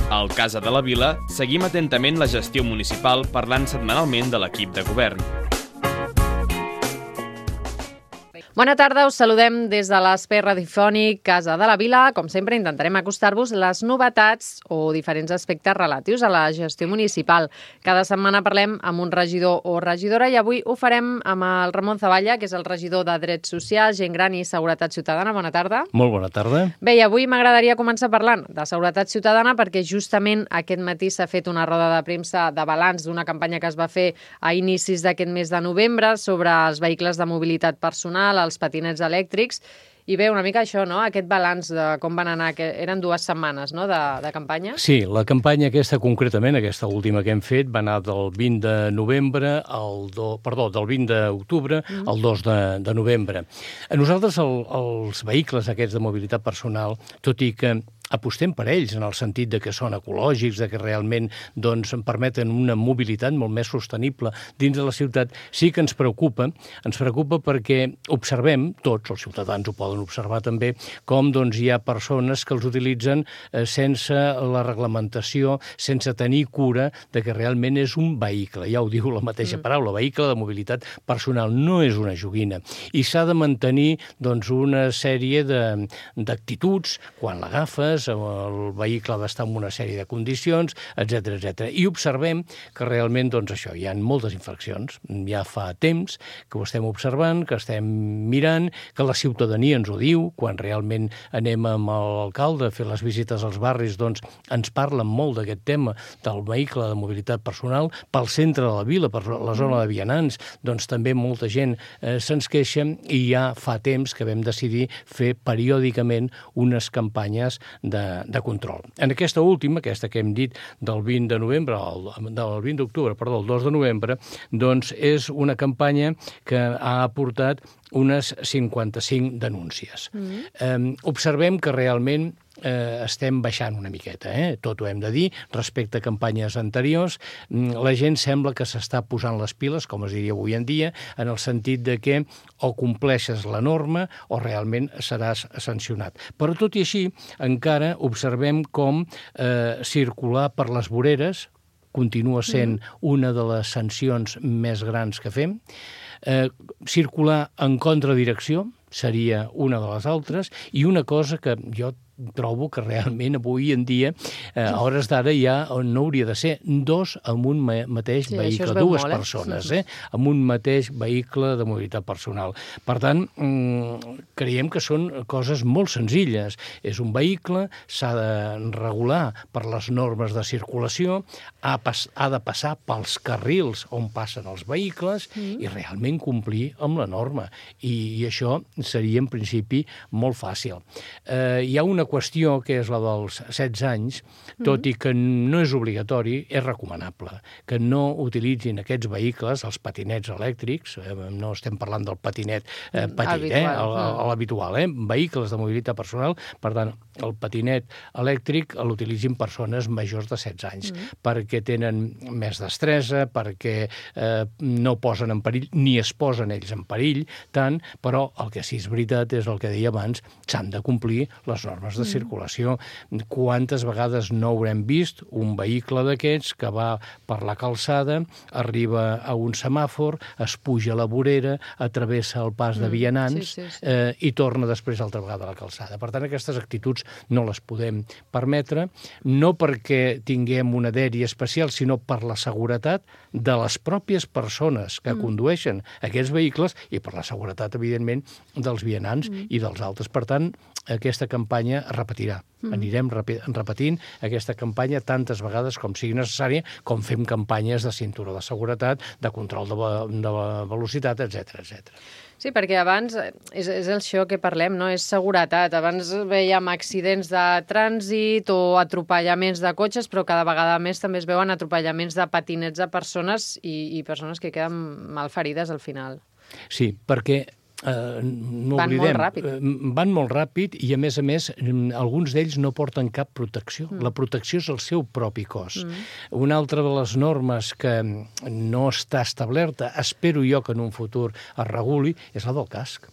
Al Casa de la Vila seguim atentament la gestió municipal parlant setmanalment de l'equip de govern. Bona tarda, us saludem des de l'espai radiofònic Casa de la Vila. Com sempre, intentarem acostar-vos les novetats o diferents aspectes relatius a la gestió municipal. Cada setmana parlem amb un regidor o regidora i avui ho farem amb el Ramon Zavalla, que és el regidor de Drets Socials, Gent Gran i Seguretat Ciutadana. Bona tarda. Molt bona tarda. Bé, i avui m'agradaria començar parlant de Seguretat Ciutadana perquè justament aquest matí s'ha fet una roda de premsa de balanç d'una campanya que es va fer a inicis d'aquest mes de novembre sobre els vehicles de mobilitat personal, els patinets elèctrics, i bé, una mica això, no? Aquest balanç de com van anar, que eren 2 setmanes, no?, de campanya. Sí, la campanya aquesta concretament, aquesta última que hem fet, va anar del 20 de novembre del 20 d'octubre al 2 de novembre. A nosaltres els vehicles aquests de mobilitat personal, tot i que apostem per ells en el sentit de que són ecològics, de que realment doncs, permeten una mobilitat molt més sostenible dins de la ciutat, sí que ens preocupa perquè observem, tots els ciutadans ho poden observar també, com doncs, hi ha persones que els utilitzen sense la reglamentació, sense tenir cura de que realment és un vehicle. Ja ho diu la mateixa paraula, vehicle de mobilitat personal, no és una joguina. I s'ha de mantenir doncs, una sèrie d'actituds quan l'agafes, el vehicle ha d'estar en una sèrie de condicions, etc etc. I observem que realment, doncs això, hi ha moltes infraccions. Ja fa temps que ho estem observant, que estem mirant, que la ciutadania ens ho diu, quan realment anem amb l'alcalde a fer les visites als barris, doncs ens parlen molt d'aquest tema del vehicle de mobilitat personal. Pel centre de la vila, per la zona de vianants, doncs també molta gent se'ns queixa i ja fa temps que vam decidir fer periòdicament unes campanyes de control. En aquesta última, aquesta que hem dit del 20 de novembre, del 20 d'octubre, perdó, el 2 de novembre, doncs és una campanya que ha aportat unes 55 denúncies. Observem que realment estem baixant una miqueta, tot ho hem de dir, respecte a campanyes anteriors. La gent sembla que s'està posant les piles, com es diria avui en dia, en el sentit de que o compleixes la norma o realment seràs sancionat. Però tot i així, encara observem com circular per les voreres continua sent una de les sancions més grans que fem. Circular en contradirecció seria una de les altres, i una cosa que jo trobo que realment avui en dia, a hores d'ara ja no hauria de ser 2 amb un mateix vehicle, 2 persones, amb un mateix vehicle de mobilitat personal. Per tant, creiem que són coses molt senzilles. És un vehicle, s'ha de regular per les normes de circulació, ha de passar pels carrils on passen els vehicles i realment complir amb la norma. I això seria, en principi, molt fàcil. Hi ha una qüestió que és la dels 16 anys, tot i que no és obligatori, és recomanable que no utilitzin aquests vehicles, els patinets elèctrics, no estem parlant del patinet petit, l'habitual, vehicles de mobilitat personal. Per tant, el patinet elèctric l'utilitzin persones majors de 16 anys, perquè tenen més destresa, perquè no posen en perill, ni es posen ells en perill tant, però el que sí és veritat és el que deia abans, s'han de complir les normes de circulació. Quantes vegades no haurem vist un vehicle d'aquests que va per la calçada, arriba a un semàfor, es puja a la vorera, travessa el pas de vianants i torna després altra vegada a la calçada. Per tant, aquestes actituds no les podem permetre, no perquè tinguem una dèria especial, sinó per la seguretat de les pròpies persones que condueixen aquests vehicles i per la seguretat, evidentment, dels vianants i dels altres. Per tant, aquesta campanya es repetirà. Anirem repetint aquesta campanya tantes vegades com sigui necessària, com fem campanyes de cinturó de seguretat, de control de la velocitat, etc etc. Sí, perquè abans és això que parlem, no? És seguretat. Abans veiem accidents de trànsit o atropellaments de cotxes, però cada vegada més també es veuen atropellaments de patinets de persones i persones que queden malferides al final. Sí, perquè no van oblidem, molt ràpid. Van molt ràpid i, a més, alguns d'ells no porten cap protecció. La protecció és el seu propi cos. Una altra de les normes que no està establerta, espero jo que en un futur es reguli, és la del casc.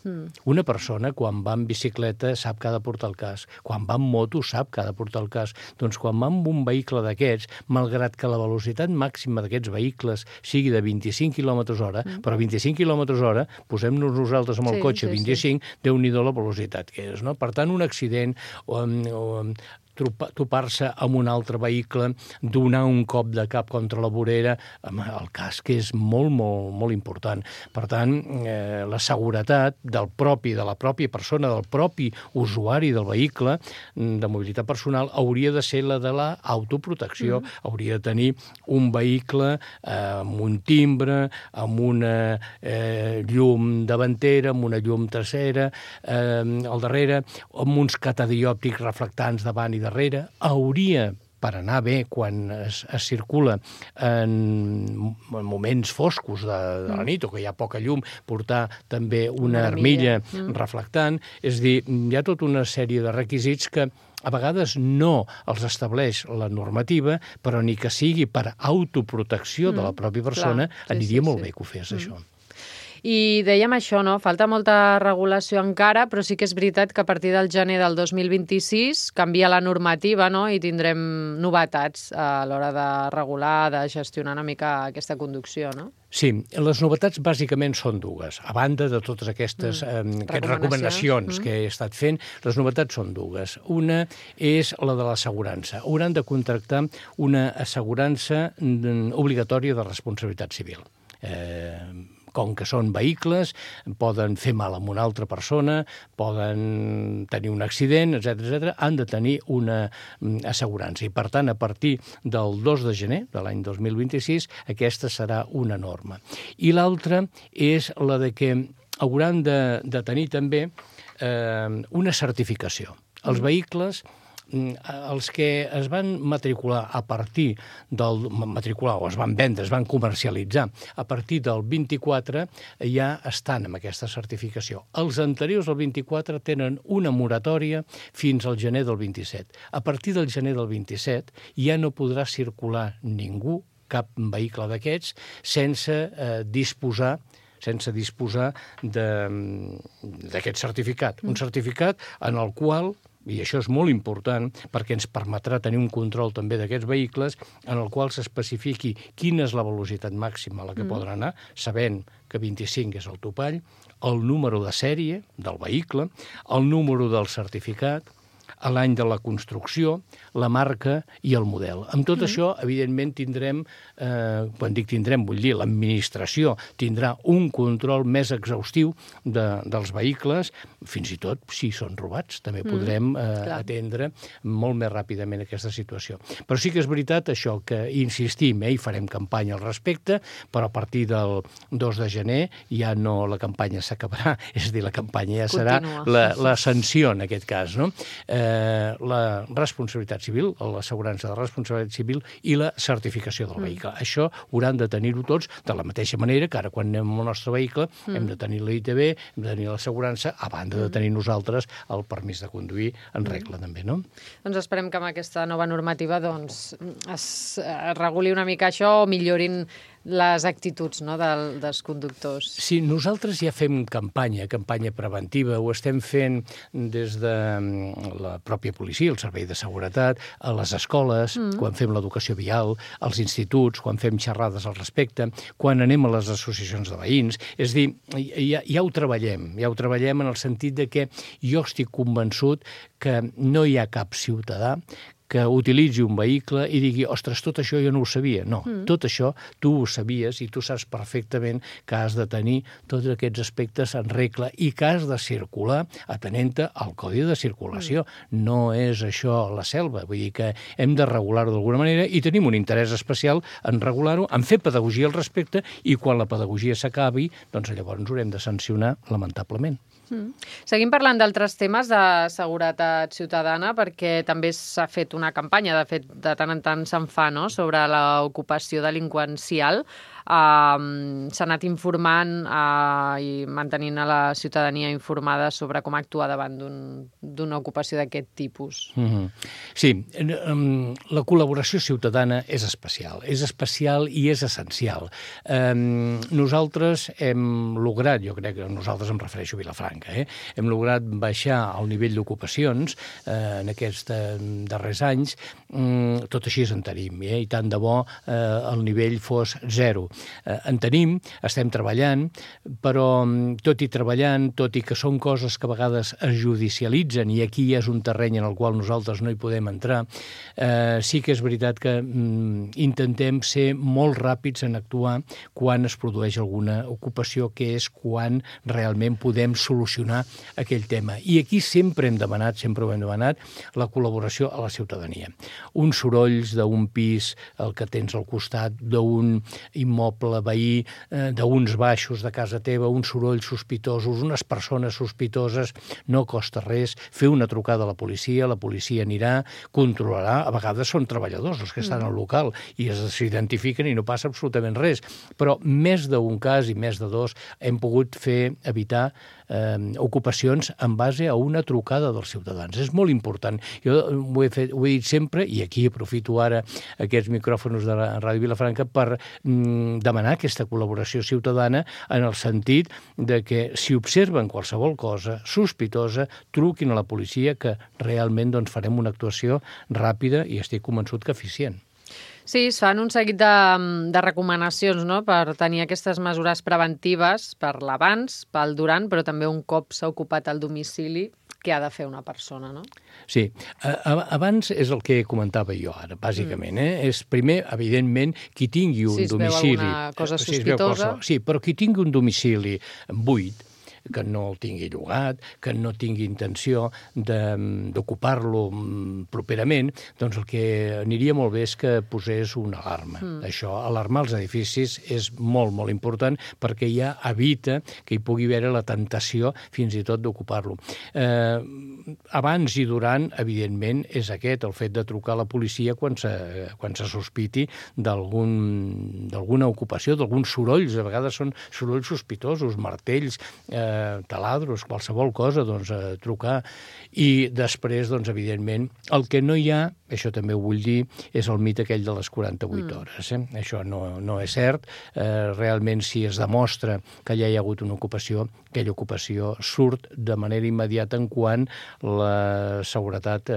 Una persona, quan va en bicicleta, sap que ha de portar el casc. Quan va en moto, sap que ha de portar el casc. Doncs quan va amb un vehicle d'aquests, malgrat que la velocitat màxima d'aquests vehicles sigui de 25 km/h, però 25 km/h, posem-nos nosaltres amb el cotxe 25, Déu-n'hi-do la velocitat que és, no? Per tant, un accident o topar-se amb un altre vehicle, donar un cop de cap contra la vorera, el casc és molt, molt, molt important. Per tant, la seguretat de la pròpia persona, del propi usuari del vehicle de mobilitat personal hauria de ser la de l'autoprotecció. Hauria de tenir un vehicle amb un timbre, amb una llum davantera, amb una llum trasera, al darrere, amb uns catadiòptics reflectants davant i darrere. Hauria, per anar bé quan es circula en moments foscos de la nit o que hi ha poca llum, portar també una armilla reflectant. És a dir, hi ha tota una sèrie de requisits que a vegades no els estableix la normativa, però ni que sigui per autoprotecció de la pròpia persona, aniria molt bé que ho fes, això. I dèiem això, no? Falta molta regulació encara, però sí que és veritat que a partir del gener del 2026 canvia la normativa, no? I tindrem novetats a l'hora de regular, de gestionar una mica aquesta conducció, no? Sí, les novetats bàsicament són dues. A banda de totes aquestes recomanacions que he estat fent, les novetats són dues. Una és la de l'assegurança. Hauran de contractar una assegurança obligatòria de responsabilitat civil. Com que són vehicles, poden fer mal a una altra persona, poden tenir un accident, etc., han de tenir una assegurança. I, per tant, a partir del 2 de gener de l'any 2026, aquesta serà una norma. I l'altra és la de que hauran de tenir també una certificació. Els vehicles, els que es van matricular a partir del... o es van vendre, es van comercialitzar a partir del 24, ja estan amb aquesta certificació. Els anteriors al 24 tenen una moratòria fins al gener del 27. A partir del gener del 27 ja no podrà circular ningú, cap vehicle d'aquests, sense disposar d'aquest certificat. Un certificat en el qual, i això és molt important perquè ens permetrà tenir un control també d'aquests vehicles, en el qual s'especifiqui quina és la velocitat màxima a la que poden anar, sabent que 25 és el topall, el número de sèrie del vehicle, el número del certificat, l'any de la construcció, la marca i el model. Amb tot això, evidentment, tindrem, quan dic tindrem, vull dir, l'administració tindrà un control més exhaustiu dels vehicles, fins i tot si són robats. També podrem atendre molt més ràpidament aquesta situació. Però sí que és veritat això, que insistim, i farem campanya al respecte, però a partir del 2 de gener ja no la campanya s'acabarà, és a dir, la campanya ja serà la sanció en aquest cas, no? La responsabilitat civil, l'assegurança de responsabilitat civil i la certificació del vehicle. Això hauran de tenir-ho tots de la mateixa manera que ara quan anem amb el nostre vehicle hem de tenir la ITV, hem de tenir l'assegurança, a banda de tenir nosaltres el permís de conduir en regla també, no? Doncs esperem que amb aquesta nova normativa es reguli una mica això o millorin les actituds, no, dels conductors. Sí, nosaltres ja fem campanya preventiva, ho estem fent des de la pròpia policia, el servei de seguretat, a les escoles, quan fem l'educació vial, als instituts, quan fem xerrades al respecte, quan anem a les associacions de veïns. És a dir, ja ho treballem en el sentit de que jo estic convençut que no hi ha cap ciutadà que utilitzi un vehicle i digui, ostres, tot això jo no ho sabia. No, tot això tu ho sabies i tu saps perfectament que has de tenir tots aquests aspectes en regla i que has de circular atenent-te al codi de circulació. No és això la selva, vull dir que hem de regular-ho d'alguna manera i tenim un interès especial en regular-ho, en fer pedagogia al respecte i quan la pedagogia s'acabi, doncs llavors haurem de sancionar lamentablement. Seguim parlant d'altres temes de seguretat ciutadana perquè també s'ha fet una campanya, de fet, de tant en tant se'n fa, no?, sobre l'ocupació delinqüencial. s'ha anat informant i mantenint a la ciutadania informada sobre com actuar davant d'una ocupació d'aquest tipus. Sí, la col·laboració ciutadana és especial i és essencial. Nosaltres hem lograt, jo crec que nosaltres em refereixo a Vilafranca, hem lograt baixar el nivell d'ocupacions en aquests darrers anys, tot així en tenim, i tant de bo el nivell fos 0. En tenim, estem treballant, però tot i treballant, tot i que són coses que a vegades es judicialitzen i aquí és un terreny en el qual nosaltres no hi podem entrar, sí que és veritat que intentem ser molt ràpids en actuar quan es produeix alguna ocupació, que és quan realment podem solucionar aquell tema. I aquí sempre ho hem demanat, la col·laboració a la ciutadania. Uns sorolls d'un pis, el que tens al costat, d'un immoble veí, d'uns baixos de casa teva, uns sorolls sospitosos, unes persones sospitoses, no costa res fer una trucada a la policia anirà, controlarà, a vegades són treballadors els que estan al local i s'identifiquen i no passa absolutament res, però més d'un cas i més de dos hem pogut evitar ocupacions en base a una trucada dels ciutadans. És molt important. Jo ho he dit sempre, i aquí aprofito ara aquests micròfons de Ràdio Vilafranca per demanar aquesta col·laboració ciutadana en el sentit de que si observen qualsevol cosa sospitosa, truquin a la policia, que realment farem una actuació ràpida i estic convençut que eficient. Sí, es fan un seguit de recomanacions, no?, per tenir aquestes mesures preventives per l'abans, pel durant, però també un cop s'ha ocupat el domicili, què ha de fer una persona, no? Sí, abans és el que comentava jo ara, bàsicament. És primer, evidentment, qui tingui un domicili... Si es veu alguna cosa sospitosa... Sí, però qui tingui un domicili buit, que no el tingui llogat, que no tingui intenció d'ocupar-lo properament, doncs el que aniria molt bé és que posés una alarma. Això, alarmar els edificis, és molt, molt important perquè ja evita que hi pugui haver la tentació fins i tot d'ocupar-lo. Abans i durant, evidentment, és el fet de trucar a la policia quan se sospiti d'alguna ocupació, d'alguns sorolls. A vegades són sorolls sospitosos, martells, taladros, qualsevol cosa, trucar. I després, evidentment, el que no hi ha, això també ho vull dir, és el mite aquell de les 48 hores. Això no és cert. Realment, si es demostra que ja hi ha hagut una ocupació, aquella ocupació surt de manera immediata en quan la seguretat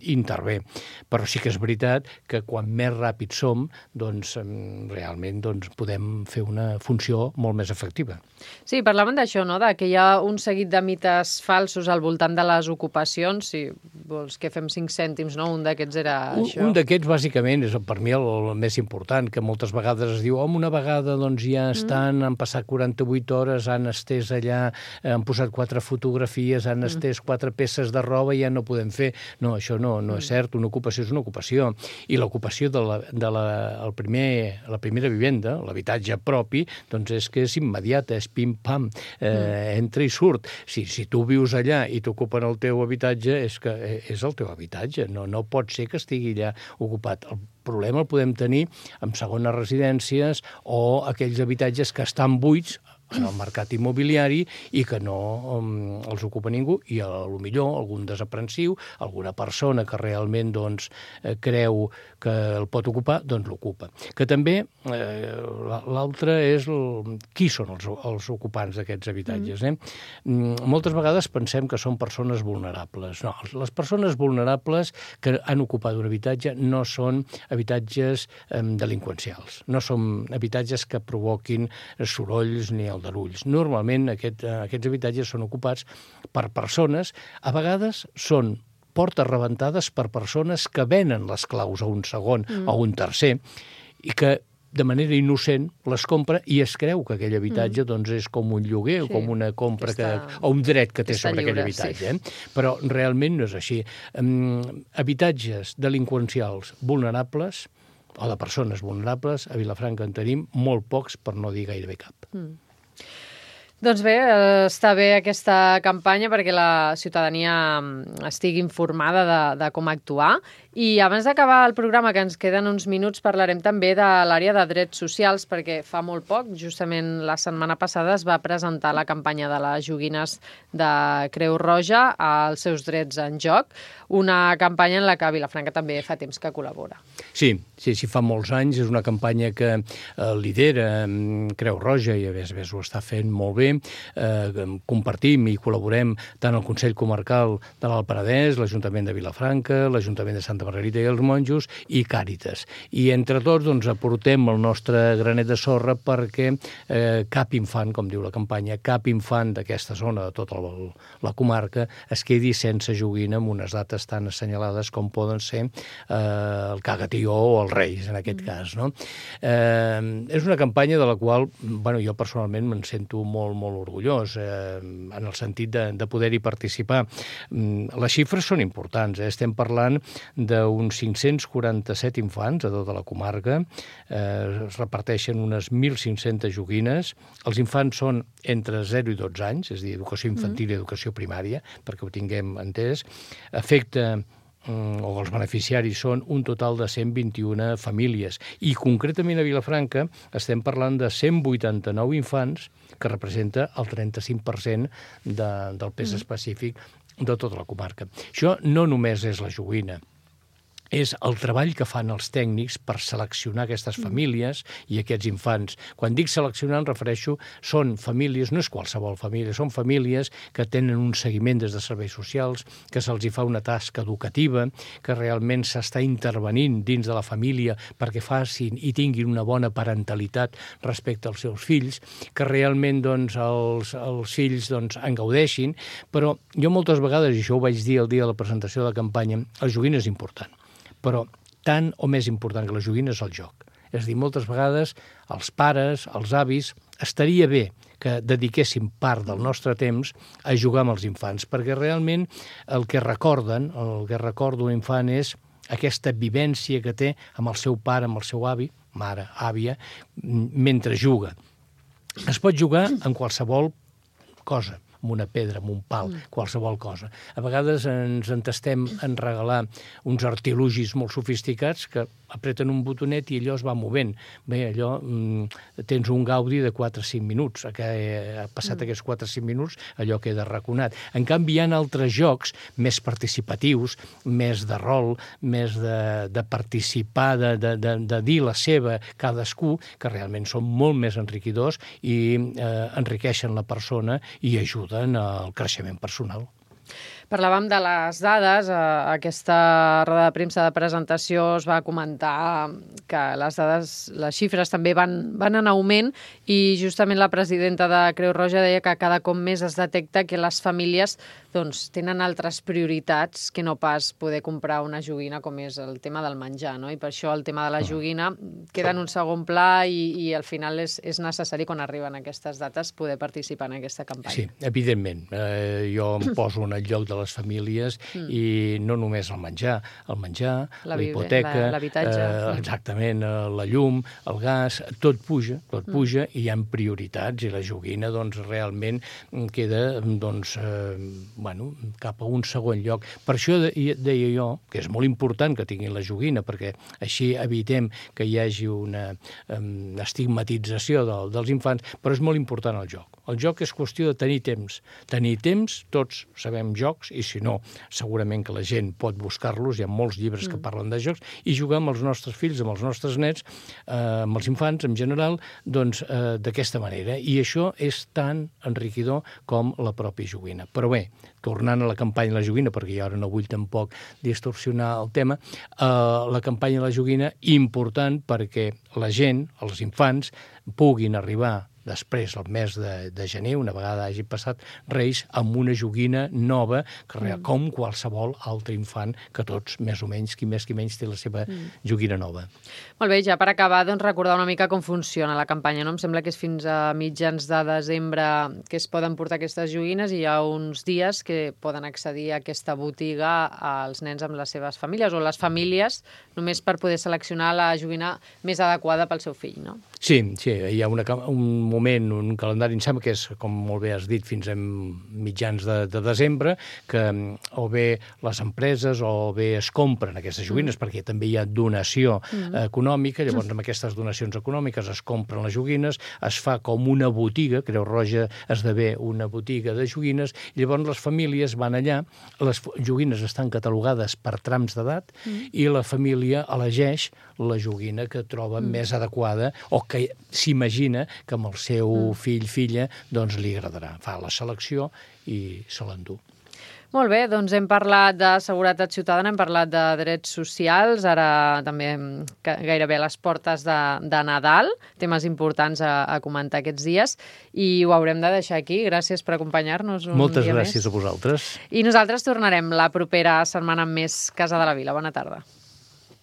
intervé. Però sí que és veritat que quan més ràpids som, realment podem fer una funció molt més efectiva. Sí, parlaven d'això, no?, que hi ha un seguit de mites falsos al voltant de les ocupacions. Si vols que fem 5 cèntims, no? Un d'aquests era això. Un d'aquests, bàsicament, és per mi el més important, que moltes vegades es diu una vegada ja estan, han passat 48 hores, han estès allà, han posat 4 fotografies, han estès 4 peces de roba i ja no podem fer. No, això no és cert. Una ocupació és una ocupació. I l'ocupació de la primera vivenda, l'habitatge propi, és que és immediata, és pim-pam, entra i surt. Si tu vius allà i t'ocupen el teu habitatge, és que és el teu habitatge. No pot ser que estigui allà ocupat. El problema el podem tenir amb segones residències o aquells habitatges que estan buits en el mercat immobiliari i que no els ocupa ningú, i potser algun desaprensiu, alguna persona que realment creu que el pot ocupar, l'ocupa. Que també l'altre és qui són els ocupants d'aquests habitatges. Moltes vegades pensem que són persones vulnerables. No, les persones vulnerables que han ocupat un habitatge no són habitatges delinqüencials, no són habitatges que provoquin sorolls ni aldarulls. Normalment aquests habitatges són ocupats per persones, a vegades són portes rebentades per persones que venen les claus a un segon o un tercer i que de manera innocent les compra i es creu que aquell habitatge és com un lloguer o com una compra o un dret que té sobre aquell habitatge. Però realment no és així. Habitatges delinqüencials vulnerables o de persones vulnerables, a Vilafranca en tenim molt pocs, per no dir gairebé cap. Doncs bé, està bé aquesta campanya perquè la ciutadania estigui informada de com actuar. I abans d'acabar el programa, que ens queden uns minuts, parlarem també de l'àrea de drets socials, perquè fa molt poc, justament la setmana passada, es va presentar la campanya de les joguines de Creu Roja, els seus drets en joc, una campanya en la que Vilafranca també fa temps que col·labora. Sí, fa molts anys. És una campanya que lidera Creu Roja i a més ho està fent molt bé. Compartim i col·laborem tant el Consell Comarcal de l'Alt Penedès, l'Ajuntament de Vilafranca, l'Ajuntament de Santa Margarita i els Monjos i Càritas. I entre tots aportem el nostre granet de sorra perquè cap infant, com diu la campanya, cap infant d'aquesta zona, de tota la comarca, es quedi sense joguina amb unes dates tan assenyalades com poden ser el Cagatió o els Reis, en aquest cas. No? És una campanya de la qual jo personalment me'n sento molt, molt orgullós, en el sentit de poder-hi participar. Les xifres són importants. Estem parlant d'uns 547 infants a tota la comarca, es reparteixen unes 1.500 joguines. Els infants són entre 0 i 12 anys, és a dir, educació infantil i educació primària, perquè ho tinguem entès. Els beneficiaris són un total de 121 famílies. I concretament a Vilafranca estem parlant de 189 infants, que representa el 35% del pes específic de tota la comarca. Això no només és la joguina, és el treball que fan els tècnics per seleccionar aquestes famílies i aquests infants. Quan dic seleccionar em refereixo, són famílies, no és qualsevol família, són famílies que tenen un seguiment des de serveis socials, que se'ls hi fa una tasca educativa, que realment s'està intervenint dins de la família perquè facin i tinguin una bona parentalitat respecte als seus fills, que realment els fills en gaudeixin, però jo moltes vegades, i això ho vaig dir el dia de la presentació de la campanya, la joguina és important. Però tant o més important que la joguina és el joc. És a dir, moltes vegades els pares, els avis, estaria bé que dediquéssim part del nostre temps a jugar amb els infants, perquè realment el que recorda un infant és aquesta vivència que té amb el seu pare, amb el seu avi, mare, àvia, mentre juga. Es pot jugar en qualsevol cosa, amb una pedra, amb un pal, qualsevol cosa. A vegades ens entestem en regalar uns artilugis molt sofisticats que apreten un botonet i allò es va movent. Bé, allò tens un gaudi de 4 o 5 minuts. Ha passat aquests 4 o 5 minuts, allò queda arraconat. En canvi, hi ha altres jocs més participatius, més de rol, més de participar, de dir la seva cadascú, que realment són molt més enriquidors i enriqueixen la persona i ajuden al creixement personal. Parlàvem de les dades. A aquesta roda de premsa de presentació es va comentar que les dades, les xifres també van en augment i justament la presidenta de Creu Roja deia que cada cop més es detecta que les famílies tenen altres prioritats que no pas poder comprar una joguina com és el tema del menjar, no? I per això el tema de la joguina queda en un segon pla i al final és necessari quan arriben aquestes dates poder participar en aquesta campanya. Sí, evidentment. Jo em poso en el lloc de les famílies i no només el menjar, la hipoteca, l'habitatge. Exactament, la llum, el gas, tot puja i hi ha prioritats i la joguina realment queda cap a un segon lloc. Per això deia jo que és molt important que tinguin la joguina perquè així evitem que hi hagi una estigmatització dels infants, però és molt important el joc. El joc és qüestió de tenir temps. Tenir temps, tots sabem jocs, i si no, segurament que la gent pot buscar-los, hi ha molts llibres que parlen de jocs, i jugar amb els nostres fills, amb els nostres nets, amb els infants en general, d'aquesta manera. I això és tan enriquidor com la pròpia joguina. Però bé, tornant a la campanya de la joguina, perquè jo ara no vull tampoc distorsionar el tema, la campanya de la joguina, important perquè la gent, els infants, puguin arribar després, el mes de gener, una vegada hagi passat Reis, amb una joguina nova, com qualsevol altre infant, que tots, més o menys, qui més qui menys, té la seva joguina nova. Molt bé, ja per acabar, recordar una mica com funciona la campanya, no? Em sembla que és fins a mitjans de desembre que es poden portar aquestes joguines i hi ha uns dies que poden accedir a aquesta botiga als nens amb les seves famílies o les famílies només per poder seleccionar la joguina més adequada pel seu fill, no? Sí, hi ha un moment, un calendari, em sembla que és, com molt bé has dit, fins a mitjans de desembre, que o bé les empreses o bé es compren aquestes joguines, perquè també hi ha donació econòmica, llavors amb aquestes donacions econòmiques es compren les joguines, es fa com una botiga, Creu Roja esdevé una botiga de joguines, i llavors les famílies van allà, les joguines estan catalogades per trams d'edat, i la família elegeix la joguina que troba més adequada o que s'imagina que amb el seu fill, filla, doncs li agradarà. Fa la selecció i se l'endú. Molt bé, doncs hem parlat de seguretat ciutadana, hem parlat de drets socials, ara també gairebé a les portes de Nadal, temes importants a comentar aquests dies, i ho haurem de deixar aquí. Gràcies per acompanyar-nos un Moltes dia gràcies més. A vosaltres. I nosaltres tornarem la propera setmana amb més Casa de la Vila. Bona tarda.